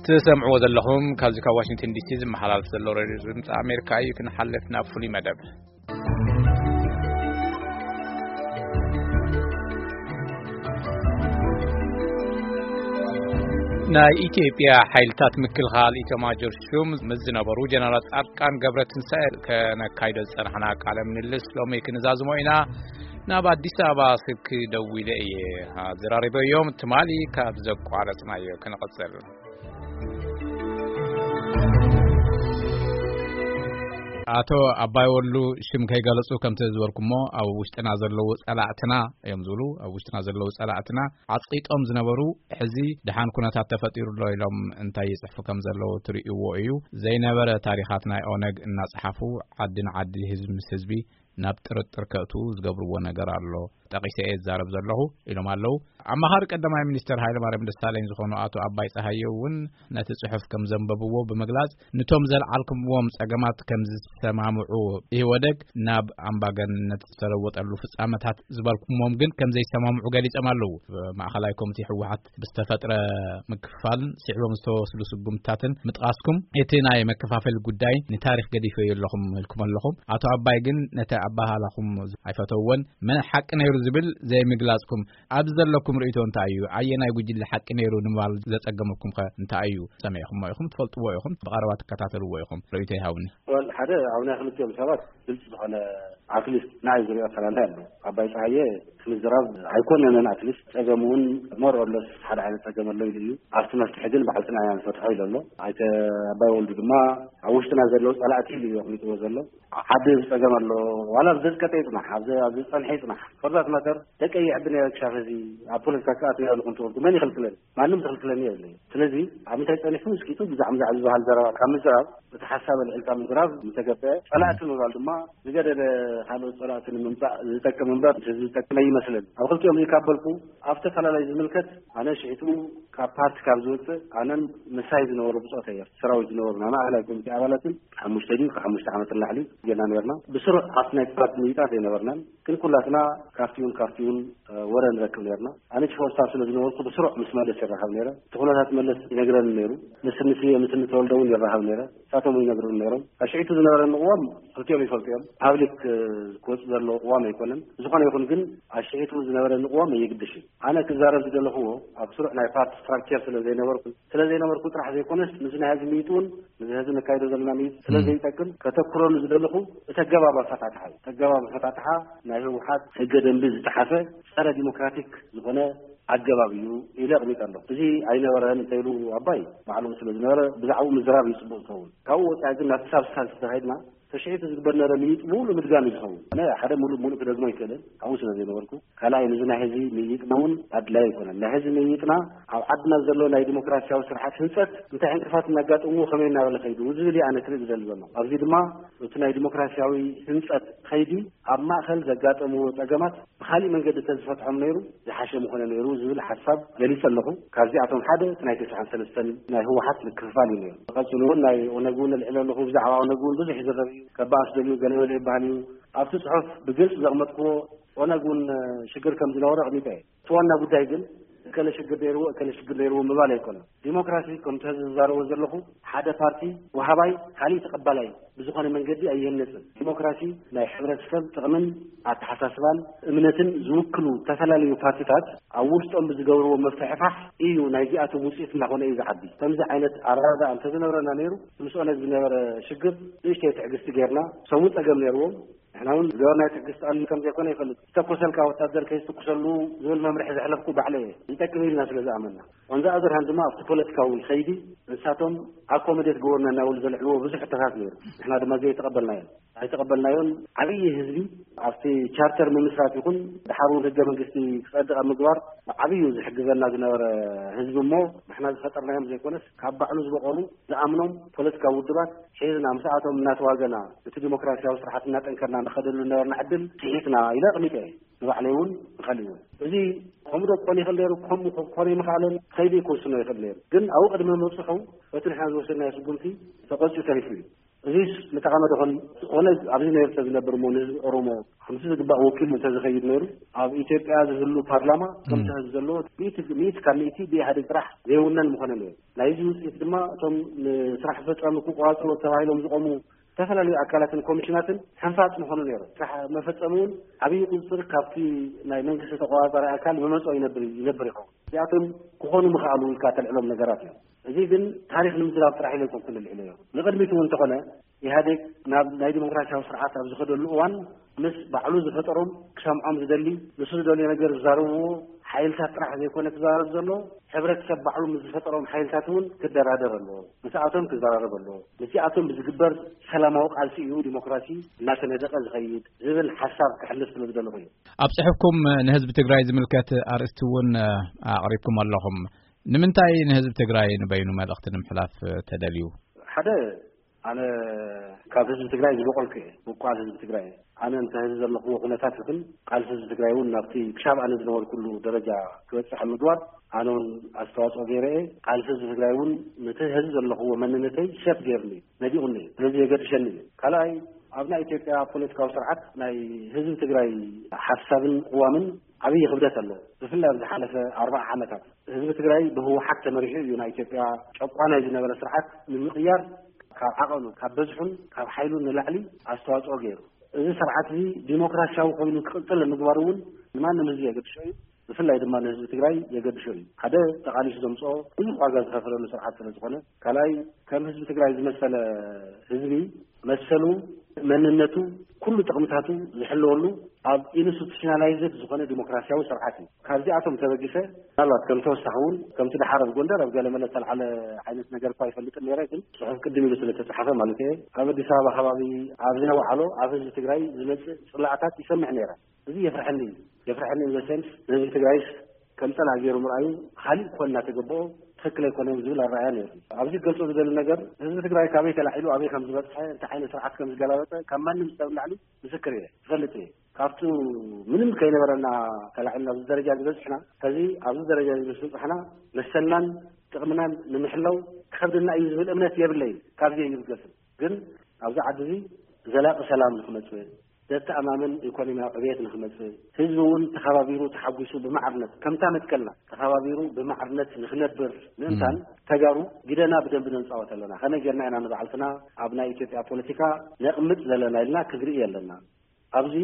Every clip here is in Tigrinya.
ትሰምዕዎ ዘለኹም ካብዚ ካብ ዋሽንግተን ዲሲ ዝመሓላለፍ ዘሎ ሬድዮ ድምፂ ኣሜሪካ እዩ። ክንሓልፍ ናብ ፍሉይ መደብ። ናይ ኢትዮጵያ ሓይልታት ምክልኻል ኢተማጆር ሹም ምስ ዝነበሩ ጀነራል ጻድቃን ገብረትንሳኤ ከነካይዶ ዝጸናሕና ቃለ ምልልስ ሎሚ ክንዛዝሞ ኢና። ናብ ኣዲስ ኣበባ ስልኪ ደዊለ እየ ኣዘራሪበዮም። ትማሊ ካብ ዘቋረጽናዮ ክንቕጽል። ኣቶ ኣባይ ወሉ፣ ሽም ከይገለጹ ከምቲ ዝበልኩሞ ኣብ ውሽጥና ዘለዉ ጸላእትና እዮም ዝብሉ። ኣብ ውሽጥና ዘለዉ ጸላእትና ዓጽቂጦም ዝነበሩ፣ ሕዚ ደሓን ኩነታት ተፈጢሩ ኣሎ ኢሎም እንታይ ይጽሕፉ ከም ዘለዉ ትርእይዎ እዩ። ዘይነበረ ታሪኻት ናይ ኦነግ እናጸሓፉ ዓዲ ንዓዲ፣ ህዝቢ ምስ ህዝቢ ናብ ጥርጥር ከእትዉ ዝገብርዎ ነገር ኣሎ። ጠቒሰ እየ ዝዛረብ ዘለኹ ኢሎም ኣለዉ። ኣማኻሪ ቀዳማይ ሚኒስተር ሃይለማርያም ደሳለኝ ዝኾኑ ኣቶ ኣባይ ጸሃየ እውን ነቲ ጽሑፍ ከም ዘንበብዎ ብምግላጽ፣ ንቶም ዘልዓልኩምዎም ጸገማት ከም ዝሰማምዑ፣ ኢህወደግ ናብ ኣምባገንነት ዝተለወጠሉ ፍጻመታት ዝበልኩሞም ግን ከም ዘይሰማምዑ ገሊጾም ኣለዉ። ማእኸላይ ኮሚቴ ህወሓት ብዝተፈጥረ ምክፍፋልን ስዒቦም ዝተወስዱ ስጉምትታትን ምጥቃስኩም፣ እቲ ናይ መከፋፈሊ ጉዳይ ንታሪኽ ገዲፈዮ ኣለኹም ኢልኩም ኣለኹም። ኣቶ ኣባይ ግን ነቲ ኣባሃላኹም ኣይፈተውዎን። መን ሓቂ ነይሩ ዝብል ዘይምግላጽኩም፣ ኣብዚ ዘለኩም ርእይቶ እንታይ እዩ? ኣየናይ ጉጅለ ሓቂ ነይሩ ንምባል ዘጸገመኩም ከ እንታይ እዩ? ሰሚዕኩሞ ኢኹም፣ ትፈልጥዎ ኢኹም፣ ብቐረባ ትከታተልዎ ኢኹም። ርእይቶ ይሃብኒ። ወል ሓደ ኣብ ናይ ክልቲኦም ሰባት ግልጽ ዝኾነ፣ ኣትሊስት ንዓይ ዝሪኦ ኣፈላላይ ኣሎ። ኣባይ ጸሃየ እቲ ምዝራብ ኣይኮነንን፣ ኣትሊስት ጸገም እውን ሞር ኦር ለስ ሓደ ዓይነት ጸገም ኣሎ ኢሉ እዩ። ኣብቲ መፍትሒ ግን ባዕልትና ኢና ንፈትሖ ኢሉ ኣሎ። ኣይተ ኣባይ ወልዱ ድማ ኣብ ውሽጥና ዘለዉ ጸላእቲ ኢሉ እዩ ኣቕሚጥዎ ዘሎ። ዓዲ ዝጸገም ኣሎ፣ ዋላ ኣብ ዘዝቀጠ ይጽናሕ፣ ኣብ ዘ-፣ ኣብ ዝጸንሐ ይጽናሕ። ፎር ዛት ማተር ደቀ ይዕብን እየ ክሻፍ እዚ ኣብ ፖለቲካ ክኣትው እየ ኢልኩም ትወልዱ መን ይኽልክለኒ? ማንም ዝኽልክለኒ የብለይ። ስለዚ ኣብ ምንታይ ጸኒሑ እስኪ ብዛዕባ፣ ብዛዕባ ዝበሃል ዘረባ ካብ ምዝራብ፣ እቲ ሓሳብ ኣልዒልካ ምዝራብ ምተገበአ፣ ጸላእቲ ምባል ድማ ዝገደደ ካልኦት ጸላእቲ ንምምጻእ ዝጠቅም እምበር ዝጠቅም ኣይመስለኒ። ኣብ ክልቲኦም እዚ ካብ በልኩ፣ ኣብ ተፈላለዩ ዝምልከት፣ ኣነ ሽሒቱ ካብ ፓርቲ ካብ ዝወጽእ፣ ኣነን ምሳይ ዝነበሩ ብጾት ኣየር ሰራዊት ዝነበሩ ናይ ማእኸላይ ኮሚቴ ኣባላትን ሓሙሽተ ድዩ ካብ ሓሙሽተ ዓመት ንላዕሊ ጌና ነርና። ብስሩዕ ኣብቲ ናይ ፓርቲ ምይጣት ኣይነበርናን፣ ግን ኩላትና ካፍቲውን ካፍቲውን፣ እ፣ ወረ ንረክብ ነርና። ኣነ ቺፍ ኦፍ ስታፍ ስለ ዝነበርኩ ብስሩዕ ምስ መለስ ይራኸብ ነይረ። እቲ ኩነታት መለስ ይነግረኒ ነይሩ። ምስ ንስየ ምስ ንተወልደ እውን ይራኸብ ነይረ። ንሳቶም እውን ይነግሩኒ ነይሮም። ኣሽዒቱ ዝነበረኒ ቅዋም ክልቲኦም ይፈልጡ እዮም። ፓብሊክ፣ እ፣ ክወጽእ ዘለዎ ቅዋም ኣይኮነን። ዝኾነ ይኹን ግን ኣሽዒቱ ዝነበረኒ ቅዋም ኣየግድሽ እዩ። ኣነ ክዛረብ ዝደለኹዎ ኣብ ስሩዕ ናይ ፓርቲ ስትራክቸር ስለ ዘይነበርኩ፣ ስለ ዘይነበርኩ ጥራሕ ዘይኮነስ፣ ምስ ናይ ህዝቢ ምይጥ እውን፣ ምስ ህዝቢ ነካይዶ ዘለና ምይጥ ስለ ም። ዘይጠቅም፣ ከተኩረሉ ዝደለኹ እቲ ኣገባብ ኣፈታትሓ እዩ። እቲ ኣገባብ ኣፈታትሓ ናይ ህወሓት ህገ ደንቢ ዝጠሓሰ ጸረ ዲሞክራቲክ ዝኾነ ኣገባብ እዩ ኢለ ኣቕሚጠ ኣለኹ። እዚ ኣይነበረን እንተኢሉ ኣባይ ባዕሉ ስለ ዝነበረ ብዛዕባኡ ምዝራብ እዩ ጽቡቕ ዝኸውን። ካብኡ ወጻኢ ግን ናብቲ ሳብስታንስ እንተኸይድና፣ ተሽዒት ዝግበር ነበረ ምይጥ ምሉእ ምድጋም እዩ ዝኸውን። ኣነ ሓደ ምሉእ ምሉእ ክደግሞ ኣይክእልን፣ ኣብኡ ስለ ዘይነበርኩ። ካልኣይ፣ ነዚ ናይ ህዝቢ ምይጥና እውን ኣድላይ ኣይኮነን። ናይ ህዝቢ ምይጥና ኣብ ዓድና ዘሎ ናይ ዲሞክራሲያዊ ስርዓት ህንጸት እንታይ ዕንቅፋት እናጋጠምዎ ከመይ እናበለ ከይዱ ዝብል እየ ኣነ ክርኢ ዝደሊ ዘለኹ። ኣብዚ ድማ እቲ ናይ ዲሞክራሲያዊ ህንጸት ከይዲ ኣብ ማእከል ዘጋጠምዎ ጸገማት ብኻሊእ መንገዲ እንተዝፈትሖም ነይሩ ዝሓሸ ምኾነ ነይሩ ዝብል ሓሳብ ገሊጸ ኣለኹ። ካብዚኣቶም ሓደ እቲ ናይ ተስዓን ሰለስተን ናይ ህወሓት ምክፍፋል እዩ ነይሩ። ቀጺሉ እውን ናይ ኦነግ እውን ኣልዒለ ኣለኹ። ብዛዕባ ኦነግ እውን ብዙሕ ይዝረብ እዩ። ከበኣስ ደልዩ ገለ ገለ ይበሃል እዩ። ኣብቲ ጽሑፍ ብግልጺ ዘቕመጥክዎ ኦነግ እውን ሽግር ከም ዝነበሮ ኣቕሚጠ እየ። እቲ ዋና ጉዳይ ግን እከለ ሽግር ነይርዎ፣ እከለ ሽግር ነይርዎ ምባል ኣይኮነን። ዲሞክራሲ ከምቲ ሕዚ ዝዛረቦ ዘለኹ ሓደ ፓርቲ ወሃባይ፣ ካሊእ ተቐባላይ ብዝኾነ መንገዲ ኣይህነጽን። ዲሞክራሲ ናይ ሕብረተሰብ ጥቕምን ኣተሓሳስባን እምነትን ዝውክሉ ዝተፈላለዩ ፓርቲታት ኣብ ውሽጦም ብዝገብርዎ ምፍሕፋሕ እዩ ናይዚኣቶም ውፅኢት እናኾነ እዩ ዝዓቢ። ከምዚ ዓይነት ኣረዳድኣ እንተዝነብረና ነይሩ፣ ምስ ኦነግ ዝነበረ ሽግር ንእሽተይ ትዕግስቲ ጌርና፣ እሶም እውን ፀገም ነይርዎም፣ ንሕና እውን ዝገበርናዮ ትዕግስቲ ቀሊል ከም ዘይኮነ ይፈልጥ። ዝተኮሰልካ ወታደር ከይትኩሰሉ ዝብል መምርሒ ዘሕለፍኩ ባዕለ እየ። ይጠቅም ኢልና ስለ ዝኣመና። On the other hand ድማ ኣብቲ ፖለቲካዊ ከይዲ ንሳቶም ኣኮመዴት ገበሩና እናበሉ ዘልዕልዎ ብዙሕ ሕቶታት ነይሩ። ንሕና ድማ ዘይተቐበልናዮ። ኣይተቐበልናዮን። ዓብዪ ህዝቢ ኣብቲ ቻርተር ምምስራት ይኹን ድሓር እውን ህገ መንግስቲ ክጸድቕ ኣብ ምግባር ብዓብዩ ዝሕግዘና ዝነበረ ህዝቢ እሞ ንሕና ዝፈጠርናዮም ዘይኮነስ ካብ ባዕሉ ዝበቐሉ ዝኣምኖም ፖለቲካዊ ውድባት ሒዝና ምስኣቶም እናተዋገና እቲ ዲሞክራሲያዊ ስርዓት እናጠንከርና ንኸደሉ ዝነበርና ዕድል ስሒትና ኢለ ኣቕሚጠ እየ። ንባዕለይ እውን ንኸልእ እውን። እዚ ከምኡ ዶ ክኾን ይኽእል ነይሩ፣ ከምኡ ክኾን ኣይምኽኣለን፣ ከይዲ ክውስኖ ይኽእል ነይሩ። ግን ኣብኡ ቅድሚ ምብፅሑ በቲ ንሕና ዝወሰድናዮ ስጉምቲ ተቐፂኡ ተሪፉ እዩ። እዚስ ምተቐመጠ ኾን ዝኾነ ኣብዚ ነርተ ዝነብር እሞ ንህዝቢ ኦሮሞ ከምቲ ዝግባእ ወኪሉ እንተዝኸይድ ነይሩ፣ ኣብ ኢትዮጵያ ዝህሉ ፓርላማ ከምቲ ህዝቢ ዘለዎ ሚእቲ ሚእቲ ካብ ሚእቲ ብኢህኣዴግ ጥራሕ ዘይውነን ምኾነ ነይሩ። ናይዚ ውፅኢት ድማ እቶም ንስራሕ ፈፃሚ ክቆፃፀሩ ተባሂሎም ዝቆሙ ዝተፈላለዩ ኣካላትን ኮሚሽናትን ሕንፋፅ ምኾኑ ነይሩ። ስራሕ መፈፀሚ እውን ዓብዪ ቁፅፅር ካብቲ ናይ መንግስቲ ተቆፃፃሪ ኣካል መመፅኦ ይነብር ይነብር ይኸውን። እዚኣቶም ክኾኑ ምኽኣሉ ኢልካ ተልዕሎም ነገራት እዮም። እዚ ግን ታሪኽ ንምዝራብ ጥራሕ ኢለ ኣይኮንኩን ልዕለዮ። ንቕድሚት እውን እንተኾነ ኢህኣዴግ ናብ ናይ ዲሞክራሲያዊ ስርዓት ኣብ ዝኸደሉ እዋን ምስ ባዕሉ ዝፈጠሮም ክሰምዖም ዝደሊ፣ ንሱ ዝደልዮ ነገር ዝዛረብዎ ሓይልታት ጥራሕ ዘይኮነ ክዛረብ ዘሎ፣ ሕብረተሰብ ባዕሉ ምስ ዝፈጠሮም ሓይልታት እውን ክደራደር ኣለዎ። ምስኣቶም ክዘራረብ ኣለዎ። ምስኣቶም ብዝግበር ሰላማዊ ቃልሲ እዩ ዲሞክራሲ እናተነደቐ ዝኸይድ ዝብል ሓሳብ ክሕልፍ ስለ ዝደለኹ እዩ። ኣብ ጽሑፍኩም ንህዝቢ ትግራይ ዝምልከት ኣርእስቲ እውን ኣቕሪብኩም ኣለኹም። ንምንታይ ንህዝቢ ትግራይ ንበይኑ መልእኽቲ ንምሕላፍ ተደልዩ? ሓደ፣ ኣነ ካብ ህዝቢ ትግራይ ዝበቆልኩ እየ። ብቋል ህዝቢ ትግራይ እየ። ኣነ እንተ ህዝቢ ዘለኽዎ ኩነታት ይኹን ቃልሲ ህዝቢ ትግራይ እውን ናብቲ ክሻብ ኣነ ዝነበርኩሉ ደረጃ ክበፅሕ ኣብ ምግባር ኣነ እውን ኣስተዋፅኦ ገይረ እየ። ቃልሲ ህዝቢ ትግራይ እውን ነቲ ህዝቢ ዘለኽዎ መንነተይ ሸፍ ገይርኒ እዩ፣ ነዲቑኒ እዩ። ስለዚ የገድሸኒ እዩ። ካልኣይ፣ ኣብ ናይ ኢትዮጵያ ፖለቲካዊ ስርዓት ናይ ህዝቢ ትግራይ ሓሳብን ቅዋምን ዓብዪ ክብደት ኣለዎ። ብፍላይ ኣብ ዝሓለፈ ኣርባዓ ዓመታት ህዝቢ ትግራይ ብህወሓት ተመሪሑ እዩ ናይ ኢትዮጵያ ጨቋናይ ዝነበረ ስርዓት ንምቕያር ካብ ዓቐኑ፣ ካብ በዝሑን ካብ ሓይሉን ንላዕሊ ኣስተዋፅኦ ገይሩ። እዚ ስርዓት እዚ ዲሞክራሲያዊ ኮይኑ ክቕፅል ንምግባር እውን ንማንም ህዝቢ የገድሾ እዩ። ብፍላይ ድማ ንህዝቢ ትግራይ የገድሾ እዩ። ሓደ ተቓሊሱ ዘምፅኦ ብዙሕ ዋጋ ዝኸፈለሉ ስርዓት ስለ ዝኾነ፣ ካልኣይ ከም ህዝቢ ትግራይ ዝመሰለ ህዝቢ መሰሉ፣ መንነቱ፣ ኩሉ ጥቕምታቱ ዝሕለወሉ ኣብ ኢንስቲቱሽናላይዝድ ዝኾነ ዲሞክራሲያዊ ስርዓት እዩ። ካብዚኣቶም ተበጊሰ ምናልባት ከም ተወሳኺ እውን ከምቲ ደሓር ኣብ ጎንደር ኣብ ገለመለ ዝተልዓለ ዓይነት ነገር እኳ ኣይፈልጥን ነይረ፣ ግን ጽሑፍ ቅድም ኢሉ ስለ ተጻሓፈ ማለት እየ፣ ኣብ ኣዲስ ኣበባ ከባቢ ኣብ ዝነውዓሎ ኣብ ህዝቢ ትግራይ ዝመጽእ ጽላእታት ይሰምዕ ነይረ። እዚ የፍርሐኒ እዩ። የፍርሐኒ ኢን ዘ ሴንስ ንህዝቢ ትግራይስ ከም ጸላኢ ገይሩ ምርኣዩ፣ ካሊእ ኮን እናተገበኦ ትኽክል ኣይኮነን ዝብል ኣረኣእያ ነይሩ። ኣብዚ ክገልጾ ዝደሊ ነገር ህዝቢ ትግራይ ካበይ ተላዒሉ ኣበይ ከም ዝበጽሐ፣ እንታይ ዓይነት ስርዓት ከም ዝገላበጠ ካብ ማንም ሰብ ንላዕሊ ምስክር እየ፣ ዝፈልጥ እየ። ካብቱ ምንም ከይነበረና ተላዒልና ኣብዚ ደረጃ ዝበጽሕና፣ ሕዚ ኣብዚ ደረጃ ዝበጽሕና መሰልናን ጥቕምናን ንምሕላው ክኸብደና እዩ ዝብል እምነት የብለይን። ካብዚ እዩ ዝገስም። ግን ኣብዚ ዓዲ እዚ ዘላቂ ሰላም ንክመጽእ፣ ዘተኣማምን ኢኮኖሚያዊ ዕብየት ንክመጽእ፣ ህዝቢ እውን ተኸባቢሩ ተሓጒሱ ብማዕርነት ከምታ መትከልና ተኸባቢሩ ብማዕርነት ንክነብር ምእንታን ተጋሩ ግደና ብደንቢ ነንጻወት ኣለና። ከመይ ጌርና ኢና ንባዕልትና ኣብ ናይ ኢትዮጵያ ፖለቲካ ነቕምጥ ዘለና ኢልና ክንርኢ ኣለና። ኣብዚ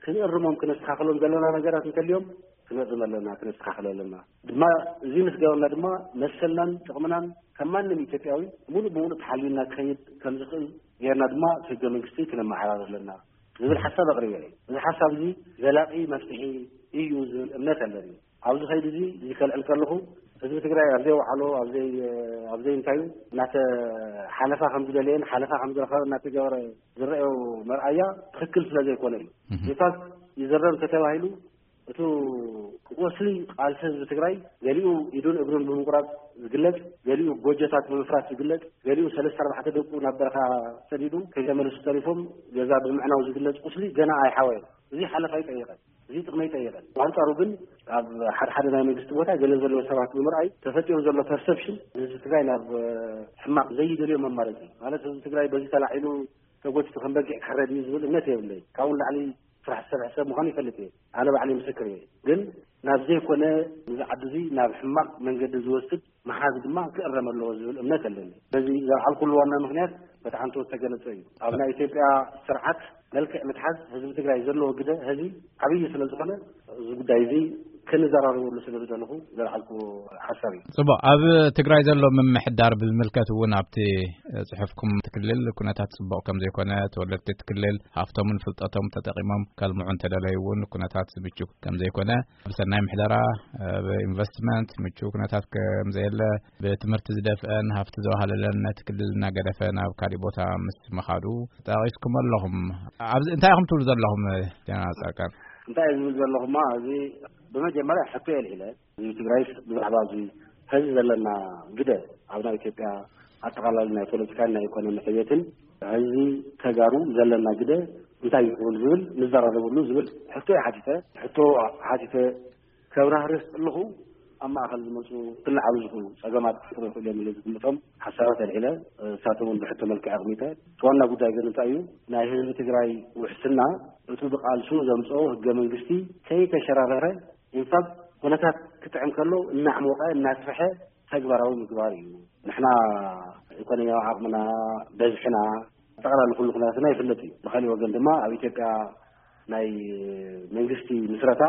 ክንእርሞም ክነስተኻኽሎም ዘለና ነገራት እንተልዮም ክንእርም ኣለና፣ ክነስተኻኽል ኣለና። ድማ እዚ ምስ ገበርና ድማ መሰልናን ጥቕምናን ከም ማንም ኢትዮጵያዊ ሙሉእ ብሙሉእ ተሓልዩና ክኸይድ ከም ዝኽእል ጌርና ድማ እቲ ህገ መንግስቲ ክነመዓራር ኣለና ዝብል ሓሳብ ኣቕሪበ እየ። እዚ ሓሳብ እዚ ዘላቒ መፍትሒ እዩ ዝብል እምነት ኣለኒ። ኣብዚ ኸይዲ እዚ እዚ ከልዕል ከለኹ ህዝቢ ትግራይ ኣብ ዘይወዓሎ ኣብ ዘይ ኣብ ዘይንታዩ እናተ ሓለፋ ከም ዝደለየን ሓለፋ ከም ዝረኸበ እናተገበረ ዝረአዮ መርኣያ ትኽክል ስለ ዘይኮነ እዩ። ኢንፋክት ይዘረብ እንተተባሂሉ እቱ ቁስሊ ቃልሲ ህዝቢ ትግራይ ገሊኡ ኢዱን እግሩን ብምቁራፅ ዝግለፅ፣ ገሊኡ ጎጆታት ብምፍራስ ዝግለፅ፣ ገሊኡ ሰለስተ ኣርባዕተ ደቁ ናብ በረኻ ሰዲዱ ከይተመለሱ ተሪፎም ገዛ ብምዕናው ዝግለፅ ቁስሊ ገና ኣይሓወየን። እዚ ሓለፋ ይጠይቐን፣ እዚ ጥቕሚ ይጠይቐን። ብኣንፃሩ ግን ኣብ ሓደ ሓደ ናይ መንግስቲ ቦታ ገለ ዘለዎ ሰባት ብምርኣይ ተፈጢሩ ዘሎ ፐርሰፕሽን ህዝቢ ትግራይ ናብ ሕማቕ ዘይደልዮ መማረፂ ማለት ህዝቢ ትግራይ በዚ ተላዒሉ ተጎቲቱ ከም በጊዕ ክሕረድ እዩ ዝብል እምነት የብለይ። ካብኡ ንላዕሊ ስራሕ ዝሰርሕ ሰብ ምዃኑ ይፈልጥ እየ። ኣነ ባዕለይ ምስክር እየ። ግን ናብ ዘይኮነ ንዚ ዓዲ እዚ ናብ ሕማቕ መንገዲ ዝወስድ ምሓዝ ድማ ክእረም ኣለዎ ዝብል እምነት ኣለኒ። በዚ ዘልዓልኩሉ ዋና ምኽንያት በቲ ዓንተወት ዝተገለጸ እዩ። ኣብ ናይ ኢትዮጵያ ስርዓት መልክዕ ምትሓዝ ህዝቢ ትግራይ ዘለዎ ግደ ህዚ ዓብዪ ስለ ዝኾነ እዚ ጉዳይ እዚ ክንዘራረበሉ ስለ ዝደለኹ ዘልዓልኩ ሓሳብ እዩ። ጽቡቕ። ኣብ ትግራይ ዘሎ ምምሕዳር ብዝምልከት እውን ኣብቲ ጽሑፍኩም እቲ ክልል ኩነታት ጽቡቕ ከም ዘይኮነ፣ ተወለድቲ እቲ ክልል ሃፍቶምን ፍልጠቶም ተጠቒሞም ከልምዑ እንተደለዩ እውን ኩነታት ምቹ ከም ዘይኮነ፣ ብሰናይ ምሕደራ፣ ብኢንቨስትመንት ምቹ ኩነታት ከም ዘየለ፣ ብትምህርቲ ዝደፍአን ሃፍቲ ዘዋሃለለን ነቲ ክልል እናገደፈ ናብ ካሊእ ቦታ ምስ ምኻዱ ጠቒስኩም ኣለኹም። ኣብዚ እንታይ ኢኹም ትብሉ ዘለኹም ጀነራል ጻድቃን? እንታይ እየ ዝብል ዘለኹማ፣ እዚ ብመጀመርያ ሕቶ የልዒለ። ህዝቢ ትግራይስ ብዛዕባ እዚ ሕዚ ዘለና ግደ ኣብ ናይ ኢትዮጵያ ኣጠቓላሊ ናይ ፖለቲካን ናይ ኢኮኖሚ ዕብየትን ህዝቢ ተጋሩ ዘለና ግደ እንታይ ይኸውን ዝብል ንዘራረበሉ ዝብል ሕቶ እየ ሓቲተ። ሕቶ ሓቲተ ከብራህርህ ከለኹ ኣብ ማእኸል ዝመፁ ክልዓሉ ዝኽእሉ ፀገማት ክፈጥሩ ይኽእሉ እዮም ኢለ ዝግምቶም ሓሳባት ኣልዒለ። እሳቶም እውን ብሕቶ መልክዕ ኣቕሚጠ። እቲ ዋና ጉዳይ ግን እንታይ እዩ? ናይ ህዝቢ ትግራይ ውሕስና እቱ ብቃልሱ ዘምፅኦ ህገ መንግስቲ ከይተሸራረረ፣ ኢንፋክት፣ ኩነታት ክጥዕም ከሎ እናዕሞቐ እናስፈሐ ተግባራዊ ምግባር እዩ። ንሕና ኢኮኖሚያዊ ዓቕምና፣ በዝሕና፣ ጠቕላሊ ኩሉ ኩነታትና ይፍለጥ እዩ። ብካሊእ ወገን ድማ ኣብ ኢትዮጵያ ናይ መንግስቲ ምስረታ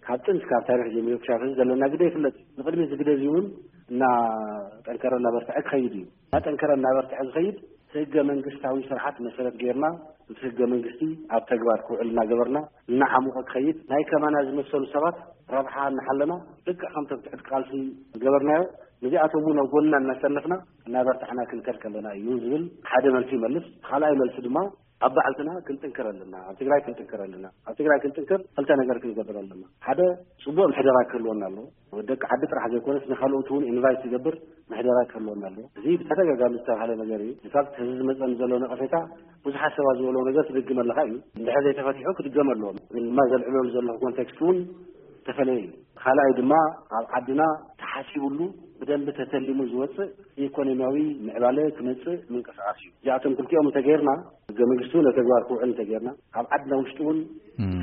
ካብ ጥንቲ ካብ ታሪኽ ጀሚሩ ክሻፍዝ ዘለና ግደ ይፍለጥ እዩ። ንቅድሚ እዚ ግደ እዚ እውን እናጠንከረ እናበርትዐ ክኸይድ እዩ። እናጠንከረ እናበርትዐ ዝኸይድ ህገ መንግስታዊ ስርዓት መሰረት ጌርና፣ እቲ ህገ መንግስቲ ኣብ ተግባር ክውዕል እናገበርና፣ እናዓሙቐ ክኸይድ፣ ናይ ከማና ዝመሰሉ ሰባት ረብሓ እናሓለና፣ ልክዕ ከምቶም ትሕቲ ቃልሲ ዝገበርናዮ፣ ነዚኣቶም እውን ኣብ ጎንና እናሰለፍና እናበርታዕና ክንከድ ከለና እዩ ዝብል ሓደ መልሲ ይመልስ። ካልኣይ መልሲ ድማ ኣብ ባዕልትና ክንጥንክር ኣለና፣ ኣብ ትግራይ ክንጥንክር ኣለና። ኣብ ትግራይ ክንጥንክር ክልተ ነገር ክንገብር ኣለና። ሓደ፣ ፅቡቅ ምሕደራ ክህልወና ኣለዎ። ደቂ ዓዲ ጥራሕ ዘይኮነስ ንካልኦት እውን ኢንቫይት ዝገብር ምሕደራ ክህልወና ኣለዎ። እዚ ብተደጋጋሚ ዝተባሃለ ነገር እዩ። ኢንፋክት፣ ህዝቢ ዝመፀኒ ዘሎ ነቐፌታ፣ ብዙሓት ሰባት ዝበለዎ ነገር ትድግመለካ እዩ። እንድሕር ዘይተፈቲሑ ክድገም ኣለዎ። ግን ድማ ዘልዕለሉ ዘለኹ ኮንቴክስት እውን ዝተፈለየ እዩ። ካልኣይ ድማ፣ ኣብ ዓድና ተሓሲቡሉ ብደንቢ ተተሊሙ ዝወፅእ ኢኮኖሚያዊ ምዕባለ ክመፅእ ምንቅስቃስ እዩ። እዚኣቶም ክልቲኦም እንተገይርና፣ ህገ መንግስቲ እውን ተግባር ክውዕል እንተገይርና፣ ኣብ ዓድና ውሽጢ እውን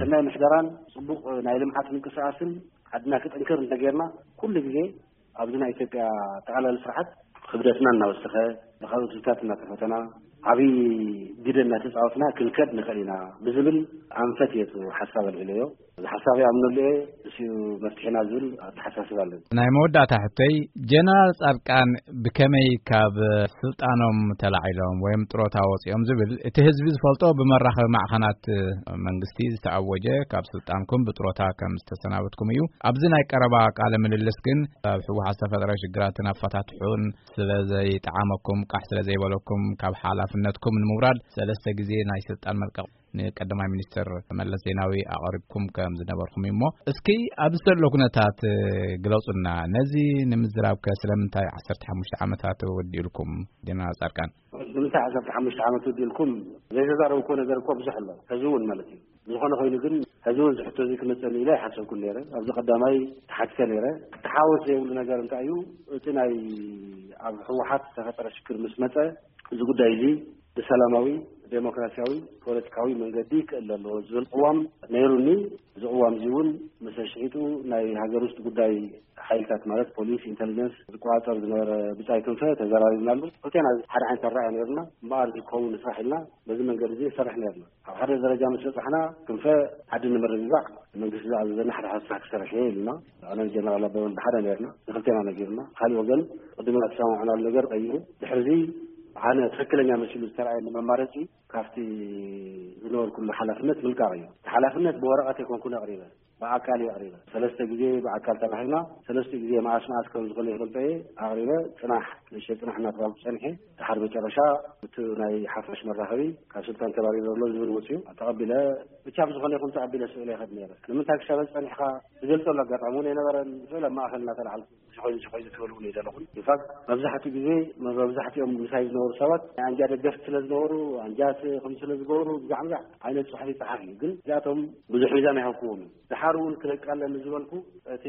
ሰናይ ምሕደራን ፅቡቅ ናይ ልምዓት ምንቅስቃስን ዓድና ክጥንክር እንተገይርና፣ ኩሉ ግዜ ኣብዚ ናይ ኢትዮጵያ ጠቕላሊ ስርዓት ክብደትና እናወሰኸ፣ ብካልኦት ህዝብታት እናተፈተና፣ ዓብዪ ግደ እናተፃወትና ክንከድ ንኽእል ኢና ብዝብል ኣንፈት እየ እቲ ሓሳብ ኣልዒለዮ። እዚ ሓሳብ ይኣምነሉ እየ፣ እሱ መፍትሒና ዝብል ኣተሓሳስባ ኣለኒ። ናይ መወዳእታ ሕቶይ፣ ጀነራል ጻድቃን ብከመይ ካብ ስልጣኖም ተላዒሎም ወይም ጥሮታ ወፂኦም ዝብል እቲ ህዝቢ ዝፈልጦ ብመራኸቢ ማዕኸናት መንግስቲ ዝተኣወጀ ካብ ስልጣንኩም ብጥሮታ ከም ዝተሰናበትኩም እዩ። ኣብዚ ናይ ቀረባ ቃለ ምልልስ ግን ኣብ ህወሓት ዝተፈጠረ ሽግራትን ኣፈታትሑን ስለ ዘይጠዓመኩም፣ ቃሕ ስለ ዘይበለኩም ካብ ሓላፍነትኩም ንምውራድ ሰለስተ ግዜ ናይ ስልጣን መልቀቕ ንቀዳማይ ሚኒስትር መለስ ዜናዊ ኣቕሪብኩም ከም ዝነበርኩም እዩ። እሞ እስኪ ኣብዚ ዘሎ ኩነታት ግለጹልና። ነዚ ንምዝራብ ከ ስለምንታይ ዓሰርተ ሓሙሽተ ዓመታት ወዲኡልኩም ጀነራል ጻድቃን? ንምንታይ ዓሰርተ ሓሙሽተ ዓመት ወዲኡልኩም? ዘይተዛረብኩዎ ነገር እኮ ብዙሕ ኣሎ፣ ሕዚ እውን ማለት እዩ። ዝኾነ ኮይኑ ግን፣ ሕዚ እውን ዝሕቶ እዚ ክመጸኒ ኢለ ኣይሓሰብኩን ነይረ። ኣብዚ ቀዳማይ ተሓቲተ ነይረ። ክተሓወስ ዘይብሉ ነገር እንታይ እዩ? እቲ ናይ ኣብ ህወሓት ዝተፈጠረ ሽግር ምስ መጸ፣ እዚ ጉዳይ እዚ ብሰላማዊ፣ ዴሞክራሲያዊ፣ ፖለቲካዊ መንገዲ ክእለ ኣለዎ ዝብል ቅዋም ነይሩኒ። እዚ ቅዋም እዚ እውን ምስ ኣሽሒጡ ናይ ሃገር ውስጥ ጉዳይ ሓይልታት ማለት ፖሊስ፣ ኢንተሊጀንስ ዝቆጻጸር ዝነበረ ብጻይ ክንፈ ተዘራሪብናሉ። ክልቴና ሓደ ዓይነት ኣረኣእያ ነይሩና። እምበኣር ዝከውን ስራሕ ኢልና በዚ መንገዲ እዚ ንሰርሕ ነይርና። ኣብ ሓደ ደረጃ ምስ በጻሕና ክንፈ ዓዲ ንምርግጋዕ መንግስቲ ዝኣዘዘና ሓደ ሓደ ስራሕ ክሰርሕ እየ ኢሉና። ኣነን ጀነራል ኣበበን ብሓደ ነይርና። ንክልቴና ነጊሩና። ካሊእ ወገን ቅድም ዝሰማማዕናሉ ነገር ቀይሩ። ድሕሪ እዚ ኣነ ትኽክለኛ መሲሉ ዝተረኣየኒ መማረፂ ካብቲ ዝነበርኩሉ ሓላፍነት ምልቃቕ እዩ። እቲ ሓላፍነት ብወረቐት ኣይኮንኩን ኣቕሪበ፣ ብኣካል እዩ ኣቕሪበ። ሰለስተ ግዜ ብኣካል ተራኺብና፣ ሰለስተ ግዜ መኣስ መኣስ ከም ዝኾነ ይፈልጦ እየ ኣቕሪበ። ጽናሕ፣ ንእሽተይ ጽናሕ እናተባልኩ ጸኒሐ። ድሓር መጨረሻ እቲ ናይ ሓፋሽ መራኸቢ ካብ ስልጣን ተባሪሩ ዘሎ ዝብል ወፅዩ ተቐቢለ። ብቻ ብዝኾነ ይኹን ተቐቢለ ስእለ ይኸድ ነይረ። ንምንታይ ክሻበል ጸኒሕካ ዝገልጸሉ ኣጋጣሚ እውን ኣይነበረን። ስእለ ኣብ ማእኸል እናተላዕልኩ እዚ ኮይኑ፣ እዚ ኮይኑ ትበልዎ እየ ዘለኹን። ኢንፋክት፣ መብዛሕትኡ ግዜ፣ መብዛሕትኦም ምሳይ ዝነበሩ ሰባት ናይ ኣንጃ ደገፍቲ ስለ ዝነበሩ፣ ኣንጃ ስ-፣ ከም ስለ ዝገበሩ፣ ብዛዕ ብዛዕ ዓይነት ጽሑፍ ይጸሓፍ እዩ። ግን እዚኣቶም ብዙሕ ሚዛን ኣይሃብኩዎም እዩ። ድሓር እውን ክለቃለኒ ዝበልኩ፣ እቲ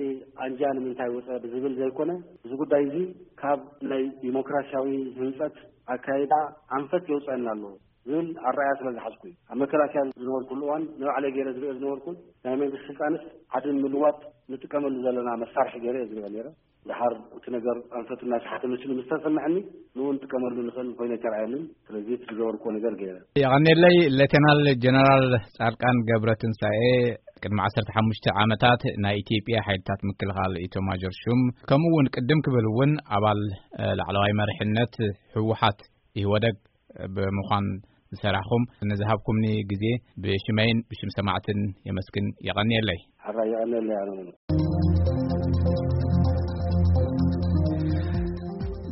ኣንጃ ንምንታይ ወጸ ብዝብል ዘይኮነ፣ እዚ ጉዳይ እዚ ካብ ናይ ዲሞክራሲያዊ ህንጸት ኣካይዳ ኣንፈት የውጸአና ኣለዎ ዝብል ኣረኣያ ስለ ዝሓዝኩ እዩ። ኣብ መከላከያ ዝነበርኩሉ እዋን ንባዕለይ ገይረ ዝሪኦ ዝነበርኩን ናይ መንግስቲ ስልጣንስ ዓዲ ንምልዋጥ ንጥቀመሉ ዘለና መሳርሒ ገይረ እየ ዝሪኦ ነይረ። ድሓር እቲ ነገር ኣንፈቱ እናሰሓተ መሲሉ ምስ ተሰምዐኒ፣ ንኡ ንጥቀመሉ ንኽእል ኮይኑ ኣይተረኣየንን። ስለዚ እቲ ዝገበርኩዎ ነገር ገይረ። የቐኔለይ ሌተናል ጀነራል ጻድቃን ገብረ ትንሳኤ፣ ቅድሚ ዓሰርተ ሓሙሽተ ዓመታት ናይ ኢትዮጵያ ሓይልታት ምክልኻል ኢታማዦር ሹም፣ ከምኡ እውን ቅድም ክብል እውን ኣባል፣ እ፣ ላዕለዋይ መሪሕነት ህወሓት ኢህወደግ ብምዃን ዝሰራሕኹም ንዝሃብኩምኒ ግዜ ብሽመይን ብሽም ሰማዕትን የመስግን። የቐንየለይ። ሕራይ የቐንየለይ ኣነ እውን።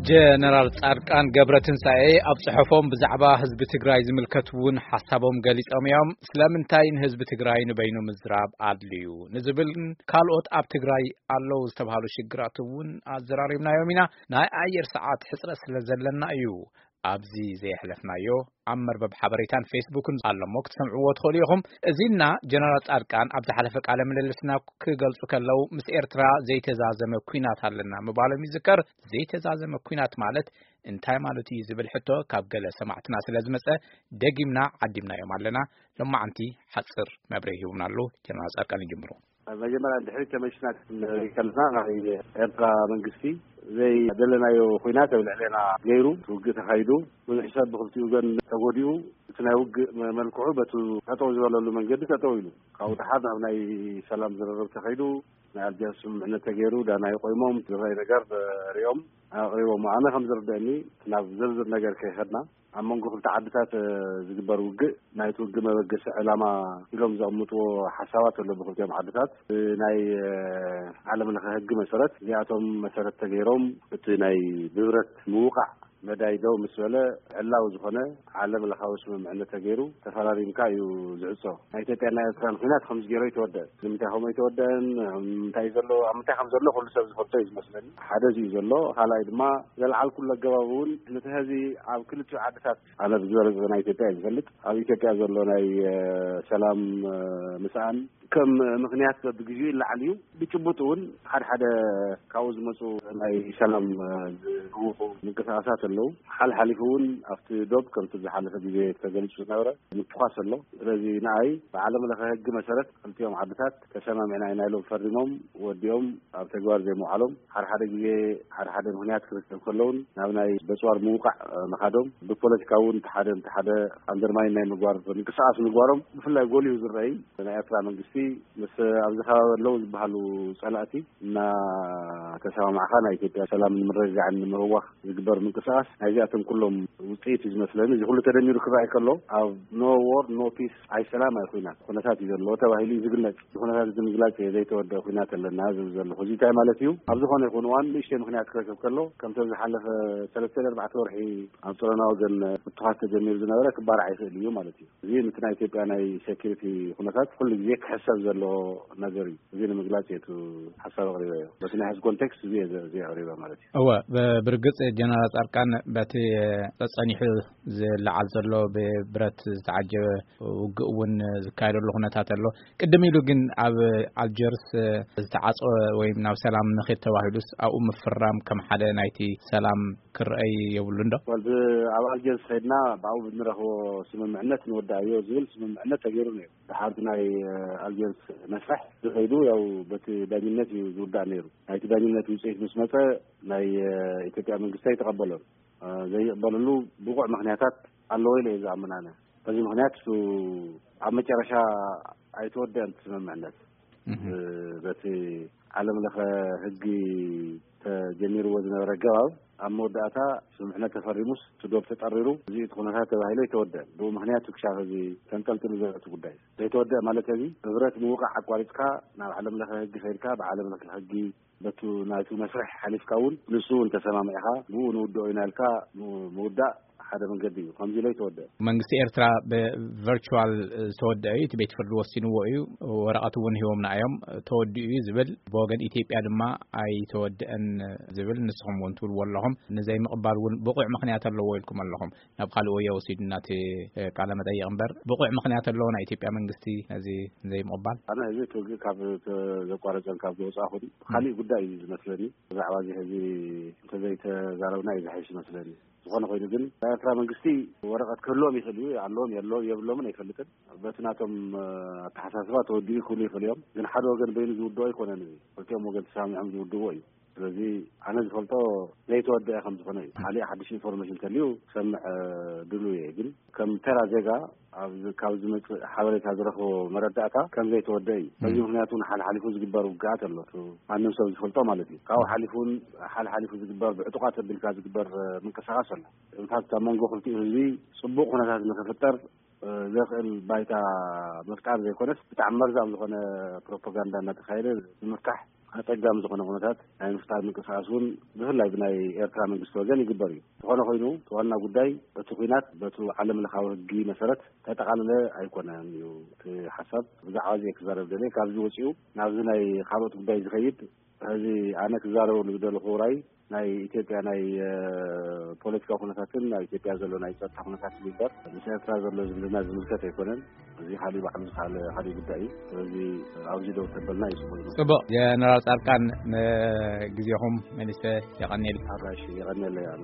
ጀነራል ጻድቃን ገብረ ትንሳኤ ኣብ ጽሑፎም ብዛዕባ ህዝቢ ትግራይ ዝምልከት እውን ሓሳቦም ገሊጾም እዮም። ስለምንታይ ንህዝቢ ትግራይ ንበይኑ ምዝራብ ኣድልዩ ንዝብልን ካልኦት ኣብ ትግራይ ኣለዉ ዝተባህሉ ሽግራት እውን ኣዘራሪብናዮም ኢና። ናይ ኣየር ሰዓት ሕጽረት ስለ ዘለና እዩ። ኣብዚ ዘየሕለፍናዮ ኣብ መርበብ ሓበሬታን ፌስቡክን ኣሎ እሞ ክትሰምዕዎ ትኽእሉ ኢኹም። እዚና ጀነራል ጻድቃን ኣብ ዝሓለፈ ቃለ ምልልስና ክገልጹ ከለዉ፣ ምስ ኤርትራ ዘይተዛዘመ ኲናት ኣለና ምባሎም ይዝከር። ዘይተዛዘመ ኲናት ማለት እንታይ ማለት እዩ ዝብል ሕቶ ካብ ገለ ሰማዕትና ስለ ዝመጸ፣ ደጊምና ዓዲምናዮም ኣለና። ሎማዓንቲ ሓጽር መብርሂ ሂቡና ኣሎ። ጀነራል ጻድቃን ይጅምሩ። መጀመርያ፣ ድሕሪት ተመልስና ክንርኢ ከለና፣ ናይ ኤርትራ መንግስቲ ዘይደለናዮ ኲናት ኣብ ልዕሌና ገይሩ፣ ውግእ ተኻይዱ፣ ብዙሕ ሰብ ብኽልቲኡ ወገን ተጎዲኡ፣ እቲ ናይ ውግእ መ-፣ መልክዑ በቱ ጠጠው ዝበለሉ መንገዲ ጠጠው ኢሉ፣ ካብኡ ደሓር ናብ ናይ ሰላም ዝርርብ ተኸይዱ፣ ናይ ኣልጀርስ ስምምዕነት ተገይሩ፣ ዳና ይቆይሞም ዝረኣይ ነገር ሪኦም ኣቕሪቦም። ኣነ ከም ዝርደአኒ፣ ናብ ዝርዝር ነገር ከይኸድና፣ ኣብ መንጎ ክልተ ዓድታት፣ እ፣ ዝግበር ውግእ፣ ናይቲ ውግእ መበገሲ ዕላማ ኢሎም ዘቐምጥዎ ሓሳባት ኣሎ ብክልቲኦም ዓድታት። እ፣ ናይ፣ እ፣ ዓለም ለኸ ህጊ መሰረት፣ እዚኣቶም መሰረት ተገይሮም፣ እቲ ናይ ብብረት ምውቃዕ መዳይ ደው ምስ በለ፣ ዕላዊ ዝኾነ ዓለም ለኻዊ ስምምዕነት ተገይሩ፣ ተፈራሪምካ እዩ ዝዕጾ። ናይ ኢትዮጵያን ናይ ኤርትራን ኲናት ከምዚ ገይሩ ኣይተወደአን። ንምንታይ ከምኡ ኣይተወደአን? እንታይ ዘሎ፣ ኣብ ምንታይ ከም ዘሎ ኩሉ ሰብ ዝፈልጦ እዩ ዝመስለኒ። ሓደ እዚ እዩ ዘሎ። ካልኣይ ድማ፣ ዘልዓልኩሉ ኣገባብ እውን፣ ነቲ ሕዚ ኣብ ክልቲኡ ዓድታት፣ ኣነ ብዝበለጸ ናይ ኢትዮጵያ እየ ዝፈልጥ፣ ኣብ ኢትዮጵያ ዘሎ ናይ፣ እ፣ ሰላም፣ እ፣ ምስኣን ከም ምኽንያት በብግዜኡ ይለዓል እዩ። ብጭቡጥ እውን ሓደ ሓደ ካብኡ ዝመጹ ናይ ሰላም፣ እ፣ ዝህውኹ ምንቅስቃሳት ኣለዉ። ሓልሓሊፉ እውን ኣብቲ ዶብ ከምቲ ዝሓለፈ ግዜ ተገሊጹ ዝነበረ ምትኳስ ኣሎ። ስለዚ ንኣይ ብዓለም ለኸ ህጊ መሰረት ክልቲኦም ዓድታት ተሰማሚዕና ኢና ኢሎም ፈሪሞም ወዲኦም ኣብ ተግባር ዘይምውዓሎም፣ ሓደ ሓደ ግዜ ሓደ ሓደ ምኽንያት ክርከብ ከለውን ናብ ናይ በጽዋር ምውቃዕ፣ እ፣ ምኻዶም፣ ብፖለቲካ እውን እቲ ሓደ ነቲ ሓደ ኣንደርማይን ናይ ምግባር ምንቅስቃስ ምግባሮም ብፍላይ ጎሊሁ ዝረኣይ። ናይ ኤርትራ መንግስቲ ምስ ኣብዚ ከባቢ ኣለዉ ዝበሃሉ ጸላእቲ እናተሰማማዕካ ናይ ኢትዮጵያ ሰላም ንምርግጋዕን ንምህዋኽ ዝግበር ምንቅስቃስ ናይዚኣቶም ኩሎም ውጽኢት እዩ ዝመስለኒ። እዚ ኩሉ ተደሚሩ ክረኣይ ከሎ፣ ኣብ no war, no peace፣ ኣይ ሰላም ኣይ ኲናት ኩነታት እዩ ዘለዎ ተባሂሉ እዩ ዝግለጽ። እዚ ኩነታት እዚ ምግላጽ እየ ዘይተወደአ ኲናት ኣለና ዝብል ዘለኹ። እዚ እንታይ ማለት እዩ? ኣብ ዝኾነ ይኹን እዋን ንእሽተይ ምኽንያት ክረክብ ከሎ፣ ከምቲ ኣብ ዝሓለፈ ሰለስተ ኣርባዕተ ወርሒ ኣብ ጸረና ወገን ምትኳስ ተጀሚሩ ዝነበረ ክባራዕ ይኽእል እዩ ማለት እዩ። እዚ ነቲ ናይ ኢትዮጵያ ናይ ሴኩሪቲ ኩነታት ኩሉ ግዜ ክሕሰብ ዘለዎ ነገር እዩ። እዚ ንምግላጽ እየ እቲ ሓሳብ ኣቕሪበዮ። በቲ ናይ ሕዚ ኮንቴክስት እዚ እየ ዘ-፣ እዚ ኣቕሪበ ማለት እዩ። እወ፣ ብ-፣ ብርግጽ ጀነራል ጻድቃን፣ በቲ ጸጸኒሑ ዝለዓል ዘሎ ብብረት ዝተዓጀበ ውግእ እውን ዝካየደሉ ኩነታት ኣሎ። ቅድም ኢሉ ግን ኣብ ኣልጀርስ ዝተዓጸወ ወይ ናብ ሰላም ንኺድ ተባሂሉስ ኣብኡ ምፍራም ከም ሓደ ናይቲ ሰላም ክረኣይ የብሉን ዶ? ወል ብ-፣ ኣብ ኣልጀርስ ከይድና ብኣኡ ብንረኽቦ ስምምዕነት ንወዳእዮ ዝብል ስምምዕነት ተገይሩ ነይሩ። ድሓር እቲ ናይ፣ እ፣ ኣልጀርስ መስርሕ ዝኸይዱ ያው በቲ ዳኝነት እዩ ዝውዳእ ነይሩ። ናይቲ ዳኝነት ውጽኢት ምስ መጸ ናይ፣ እ፣ ኢትዮጵያ መንግስቲ ኣይተቐበሎን። እ፣ ዘይቕበለሉ ብቑዕ ምኽንያታት ኣለዎ ኢለ እየ ዝኣምን ኣነ። በዚ ምኽንያት እሱ ኣብ መጨረሻ ኣይተወደአን እቲ ስምምዕነት። እህ። እ፣ በቲ ዓለም ለኸ ህጊ ተጀሚርዎ ዝነበረ ኣገባብ ኣብ መወዳእታ ስምምዕነት ተፈሪሙስ እቲ ዶብ ተጠሪሩ እዚ እቲ ኩነታት ተባሂሉ ኣይተወደአን። ብኡ ምኽንያት ክሻፍ እዚ ተንጠልጥሉ ዘሎ እቲ ጉዳይ ዘይተወደአ ማለት እዚ ብብረት ምውቃዕ ኣቋሪጽካ ናብ ዓለም ለኸ ህጊ ከይድካ ብዓለም ለኸ ህጊ በቱ ናይቱ መስርሕ ሓሊፍካ እውን ንሱ እውን ተሰማሚዕካ ብኡ ንውድኦ ኢና ኢልካ ም-፣ ምውዳእ ሓደ መንገዲ እዩ። ከምዚ ኢሎ ይተወደአ። መንግስቲ ኤርትራ ብቨርቹዋል ዝተወደአ እዩ። እቲ ቤት ፍርዲ ወሲንዎ እዩ። ወረቐት እውን ሂቦምና እዮም። ተወዲኡ እዩ ዝብል፣ ብወገን ኢትዮጵያ ድማ ኣይተወደአን ዝብል ንስኹም እውን ትብልዎ ኣለኹም። ንዘይምቕባል እውን ብቑዕ ምኽንያት ኣለዎ ኢልኩም ኣለኹም። ናብ ካልእ ወዮ ወሲዱና እቲ ቃለ መጠይቕ እምበር፣ ብቑዕ ምኽንያት ኣለዎ ናይ ኢትዮጵያ መንግስቲ ነዚ ዘይምቕባል? ኣነ እዚ እቲ ውግእ ካብ ዘቋረጸን ካብ ዝወጻእኹን ካሊእ ጉዳይ እዩ ዝመስለኒ። ብዛዕባ እዚ ሕዚ እንተዘይተዛረብና እዩ ዝሓይሽ መስለኒ። ዝኾነ ኮይኑ ግን ናይ ኤርትራ መንግስቲ ወረቐት ክህልዎም ይኽእል እዩ፣ ኣለዎም የሎ-፣ የብሎምን ኣይፈልጥን። በቲ ናቶም፣ እ፣ ኣተሓሳስባ ተወዲኡ ክብሉ ይኽእሉ እዮም። ግን ሓደ ወገን በይኑ ዝውድኦ ኣይኮነን። እዚ ክልቲኦም ወገን ተሰማሚዖም ዝውድዎ እዩ። ስለዚ ኣነ ዝፈልጦ ዘይተወደአ ከም ዝኾነ እዩ። ካሊእ ሓድሽ ኢንፎርሜሽን እንተልዩ ክሰምዕ፣ እ፣ ድሉው እየ። ግን ከም ተራ ዜጋ ኣብዚ፣ ካብ ዝመጽእ ሓበሬታ ዝረኽቦ መረዳእታ ከም ዘይተወደአ እዩ። በዚ ም። ምኽንያት እውን ሓልሓሊፉ ዝግበር ውግኣት ኣሎ። እቲ ማንም ሰብ ዝፈልጦ ማለት እዩ። ካብኡ ሓሊፉ እውን ሓልሓሊፉ ዝግበር ብዕጡቓት ኣቢልካ ዝግበር፣ እ፣ ምንቅስቓስ ኣሎ። ኢንፋክት ኣብ መንጎ ክልቲኡ ህዝቢ ጽቡቕ ኩነታት ንክፍጠር፣ እ፣ ዘኽእል ባይታ ምፍጣር ዘይኮነስ ብጣዕሚ መርዛም ዝኾነ ፕሮፓጋንዳ እናተኻየደ ንምፍታሕ ኣጸጋሚ ዝኾነ ኩነታት ናይ ምፍታር ምንቅስቃስ እውን ብፍላይ ብናይ ኤርትራ መንግስቲ ወገን ይግበር እዩ። ዝኾነ ኮይኑ እቲ ዋና ጉዳይ በቲ ኩናት በቲ ዓለም ለኻዊ ሕጊ መሰረት ተጠቓለለ ኣይኮነን እዩ እቲ ሓሳብ። ብዛዕባ እዚ ክዛረብ ደልየ። ካብዚ ወፂኡ ናብዚ ናይ ካልኦት ጉዳይ ዝኸይድ፣ እዚ ኣነ ክዛረበሉ ዝደለኹ ራይ ናይ ኢትዮጵያ ናይ ፖለቲካ ኩነታትን ኣብ ኢትዮጵያ ዘሎ ናይ ጸጥታ ኩነታትን ይበር ምስ ኤርትራ ዘሎ ዝምድና ዝምልከት ኣይኮነን። እዚ ካልእ ባዕሉ ዝካለ ካልእ ጉዳይ እዩ። ስለዚ ኣብዚ ደው ተበልና እዩ ጽቡቅ። ጀነራል ጻድቃን፣ ንግዜኹም መንእሰ የቐንየል። ኣራሽ የቐንየለ ያኑ።